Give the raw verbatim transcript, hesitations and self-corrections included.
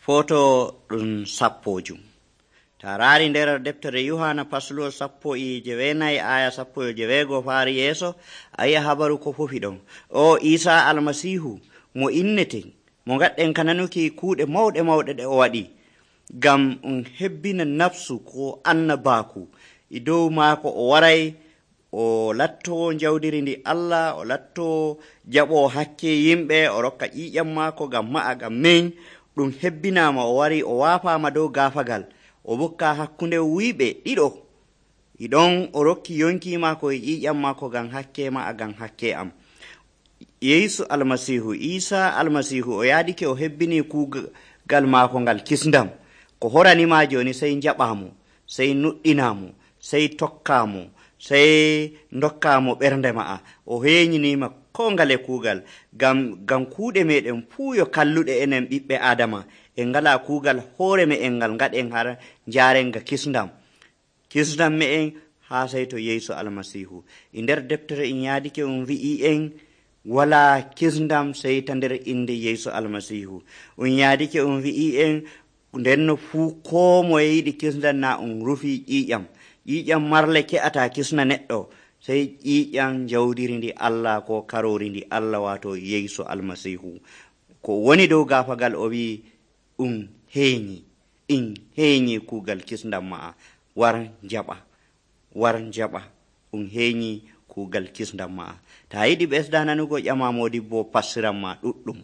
Foto ɗum sappojum. Ta raari nder deftere Yohana pasluwo sappo e jewenayi aya sappo e jewego faari yeeso, a yi'a habaru ko fofi ɗon. O Isa almasihu mo inneten, mo gaɗɗen kananuki kuuɗe mawɗe mawɗe ɗe o waɗi, ngam um hebbina nafsu ko annabaku e dow maako o waray o latto jawdiri ndi Allah, o latto jaɓo hakke yimɓe, o rokka ƴiƴam maako ngam ma'a ngam min. Ɗum hebbinama o wari o waafama dow gaafagal, o bokka hakkunde wuyɓe ɗiɗo. Iɗon o rokki yonki maako e ƴiƴam maako ngam hakke ma'a ngam hakke am. Yeesu almasihu, Isa almasihu o yaadike o hebbini kuugal maako ngal kisndam. Ko horanima joni sey jaɓamo, sey nuɗɗinamo, sey tokkamo, sey dokkamo ɓernde ma'a. O heeñinima ko ngale kuugal, gam gam kuuɗe meɗen fuu yo kalluɗe enen ɓiɓɓe adama, en ngala kuugal hoore me'en ngal ngaɗen har njaren ga kisndam kisndam me'en ha sey to Yeesu almasihu. E nder deftere en yaadike um wi'i en wala kisndam sey ta nder inde Yeesu almasihu. Um yaadike um wi'i en ndenno fuu ko moye yiɗi kisndam na um rufi ƴiƴam ƴiƴam marle ke'ata kisna neɗɗo, sey ƴiƴam jawdiri ndi Allah ko karori ndi Allah, wato Yeesu almasihu. Ko woni dow gaafagal o wi um heeñi in heeñi kuugal kisndam ma'a, war jaɓa war jaɓa um heeñi kuugal kisndam ma'a. Ta yiɗi ɓesda nanugo ƴama modibbo passiran ma ɗuɗɗum.